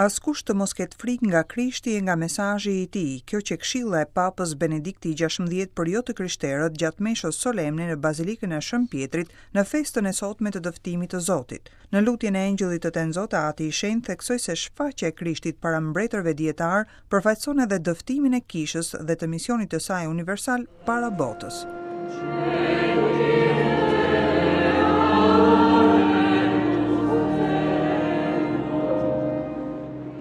Askush të mos ketë frikë nga Krishti e nga mesazhi i tij, kjo qe këshilla e Papës Benedikti i 16 për jo të krishterët gjatë meshës solemne në Bazilikën e Shën Pjetrit në festën e sotme të dëftimit të Zotit. Në lutjen e Engjëllit të Tenzot, Ati i Shenjtë theksoi se shfaqja e Krishtit para mbretërve dijetarë përfaqëson edhe dëftimin e Kishës dhe të misionit të saj universal para botës.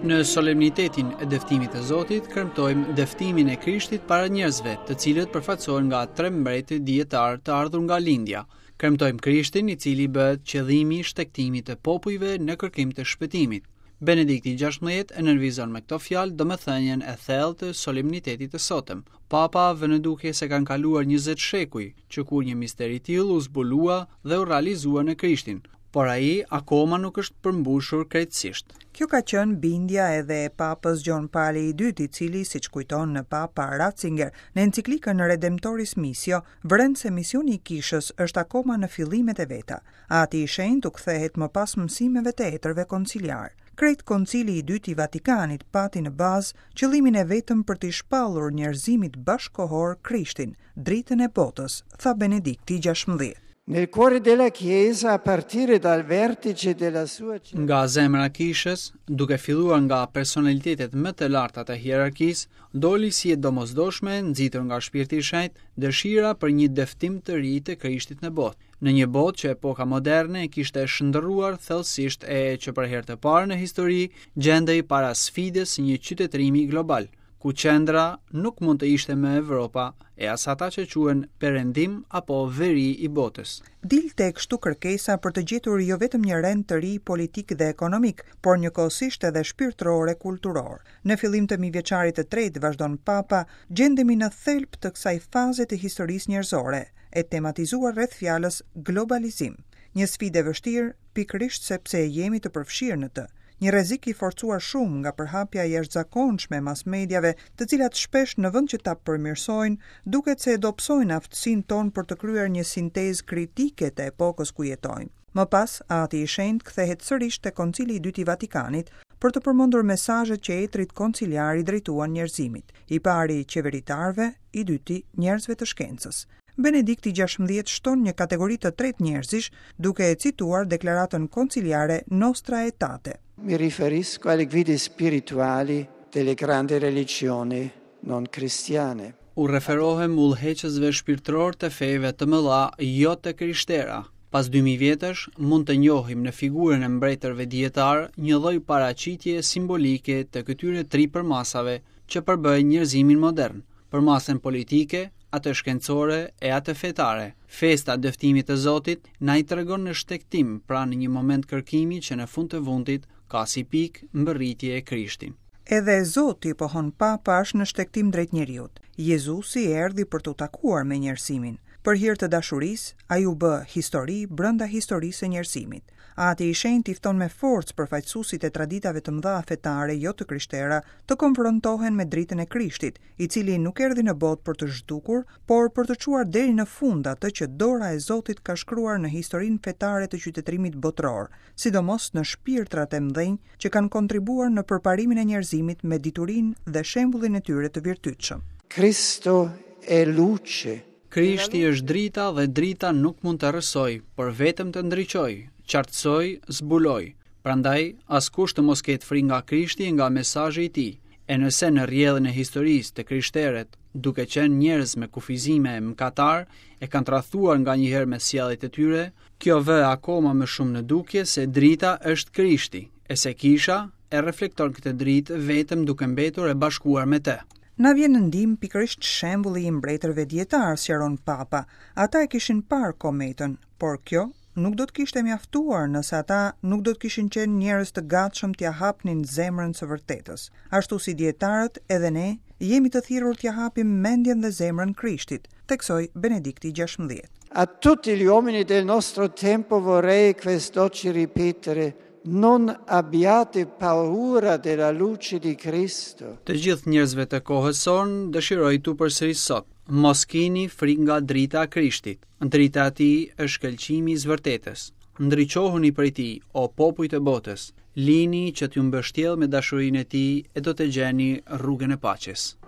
Në solemnitetin e dëftimit të Zotit, kremtojmë dëftimin e Krishtit para njerëzve, të cilët përfaqësohen nga tre mbretër dijetarë të ardhur nga lindja. Kremtojmë Krishtin, i cili bëhet qëllimi i shtegtimit të popujve në kërkim të shpëtimit. Benedikti 16 e nënvizon me këto fjalë domethënien e thellë të solemnitetit të sotëm. Papa vë në dukje se kanë kaluar 20 shekuj që kur një mister i tillë u zbulua dhe u realizua në Krishtin, por ai akoma nuk është përmbushur krejtësisht. Kjo ka qenë bindja edhe e Papës Gjon Pali i II, i cili, siç kujton Papa Ratzinger në enciklikën Redemptoris Missio, vëren se misioni i Kishës është akoma në fillimet e veta. Ati i Shenjtë u kthehet më pas mësimeve të etërve konciliarë. Krejt Koncili i Dytë i Vatikanit pati në bazë qëllimin e vetëm për t'i shpallur njerëzimit bashkëkohor Krishtin, dritën e botës, tha Benedikti i 16. Nel cuore della Chiesa, a partire dal vertice della sua Nga zemra e Kishës, duke filluar nga personalitetet më të larta të hierarkisë, doli si e domosdoshme, nxitur nga Shpirti i Shenjtë, dëshira për një dëftim të ri të Krishtit në botë. Në një botë që epoka moderne e kishte shndërruar thellësisht e që për herë të parë në histori gjendej para sfidës së një qytetërimi global, ku qendra nuk mund të ishte më Evropa e as ata që quhen Perëndim apo Veri i botës. Dilte kështu kërkesa për të gjetur jo vetëm një rend të ri politik dhe ekonomik, por njëkohësisht edhe shpirtëror e kulturor. Në fillim të mijëvjeçarit të tretë, vazhdon Papa, gjendemi në thelb të kësaj faze të historisë njerëzore, e tematizuar rreth fjalës globalizim. Një sfidë e vështirë, pikërisht sepse jemi të përfshirë në të. Një rrezik i forcuar shumë nga përhapja e jashtëzakonshme e mass mediave, të cilat shpesh në vend që ta përmirësojnë, duket se e dobësojnë aftësinë tonë për të kryer një sintezë kritike të epokës ku jetojmë. Më pas, Ati i Shenjtë kthehet sërish te Koncili i Dytë i Vatikanit për të përmendur mesazhet që etërit konciliarë i drejtuan njerëzimit, i pari qeveritarëve, i dyti njerëzve të shkencës. Benedikti 16 shton një kategori të tretë njerëzish, duke e cituar deklaratën konciliare Nostra Aetate. Mi riferisco alle guide spirituali delle grandi religioni non cristiane. U referohem udhëheqësve shpirtërorë të feve të mëdha jo të krishtera. Pas 2000 vjetësh, mund të njohim në figurën e mbretërve dijetarë një lloj paraqitje simbolike të këtyre tri përmasave që përbëjnë njerëzimin modern, përmasën politike, atë shkencore e atë fetare. Festa e dëftimit të Zotit na i tregon në shtegtim, pra në një moment kërkimi që në fund të fundit ka si pikë mbërritje Krishtin. Edhe Zoti, pohon Papa, është në shtegtim drejt njeriut. Jezusi erdhi për t'u takuar me njerëzimin. Për hir të dashurisë, ai u bë histori brenda historisë së njerëzimit. Ati i Shenjtë i fton me forcë përfaqësuesit e traditave të mëdha fetare jo të krishtera të konfrontohen me dritën e Krishtit, i cili nuk erdhi në botë për të zhdukur, por për të çuar deri në fund atë që dora e Zotit ka shkruar në historinë fetare të qytetërimit botëror, sidomos në shpirtrat e mëdhenj që kanë kontribuar në përparimin e njerëzimit me diturinë dhe shembullin e tyre të virtytshëm. Cristo è luce. Krishti është drita dhe drita nuk mund të errësojë, por vetëm të ndriçojë, qartësojë, zbulojë. Prandaj, askush të mos ketë frikë nga Krishti e nga mesazhi i tij. E nëse në rrjedhën e historisë të krishterët, duke qenë njerëz me kufizime e mëkatarë, e kanë tradhtuar nganjëherë me sjelljet e tyre, kjo vë akoma më shumë në dukje se drita është Krishti, e se kisha e reflekton këtë dritë vetëm duke mbetur e bashkuar me të. Na vjen në ndihmë pikërisht shembulli i mbretërve dijetarë, sqaron Papa. Ata e kishin parë kometën, por kjo nuk do të kishte mjaftuar nëse ata nuk do të kishin qenë njerëz të gatshëm t'ia hapnin zemrën së vërtetës. Ashtu si dijetarët, edhe ne jemi të thirrur t'ia hapim mendjen dhe zemrën Krishtit, theksoi Benedikti 16. A tutti gli uomini del nostro tempo vorrei quest'oggi ripetere Non abbiate paura della luce di Cristo. Të gjithë njerëzve të kohës sonë dëshiroj t'u përsëris sot, mos kini frikë nga drita e Krishtit. Drita e tij është shkëlqimi i së vërtetës. Ndriçohuni prej tij, o popuj të botës. Lini që t'ju mbështjellë me dashurinë e tij e do të gjeni rrugën e paqes.